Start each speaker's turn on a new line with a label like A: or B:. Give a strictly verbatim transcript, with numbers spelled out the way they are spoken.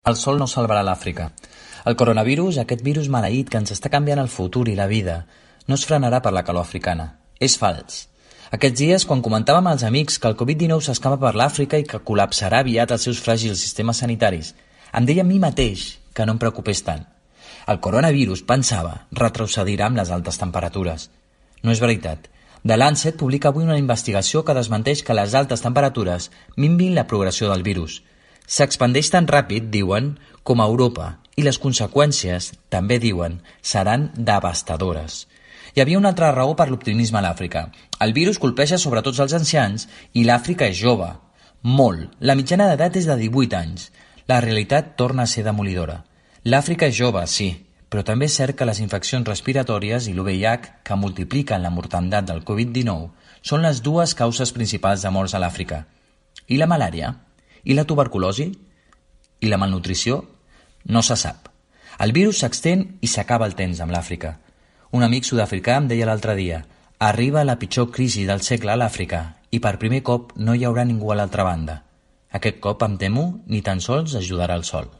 A: El sol no salvarà l'Àfrica. El coronavirus, aquest virus maleït que ens està canviant el futur i la vida, no es frenarà per la calor africana. És fals. Aquests dies, quan comentàvem als amics que el covid dinou s'escapa per l'Àfrica i que col·lapsarà aviat els seus fràgils sistemes sanitaris, em deia a mi mateix que no em preocupés tant. El coronavirus, pensava, retrocedirà amb les altes temperatures. No és veritat. The Lancet publica avui una investigació que desmenteix que les altes temperatures minvin la progressió del virus. S'expandeix tan ràpid, diuen, com a Europa, i les conseqüències, també diuen, seran devastadores. Hi havia una altra raó per l'optimisme a l'Àfrica. El virus colpeja sobre tots els ancians i l'Àfrica és jove. Molt. La mitjana d'edat és de divuit anys. La realitat torna a ser demolidora. L'Àfrica és jove, sí, però també és cert que les infeccions respiratòries i l'U V I H, que multipliquen la mortandat del covid dinou, són les dues causes principals de morts a l'Àfrica. I la malària? I la tuberculosi? I la malnutrició? No se sap. El virus s'extén i s'acaba el temps amb l'Àfrica. Un amic sud-africà em deia l'altre dia: arriba la pitjor crisi del segle a l'Àfrica i per primer cop no hi haurà ningú a l'altra banda. Aquest cop, em temo, ni tan sols ajudarà el sol.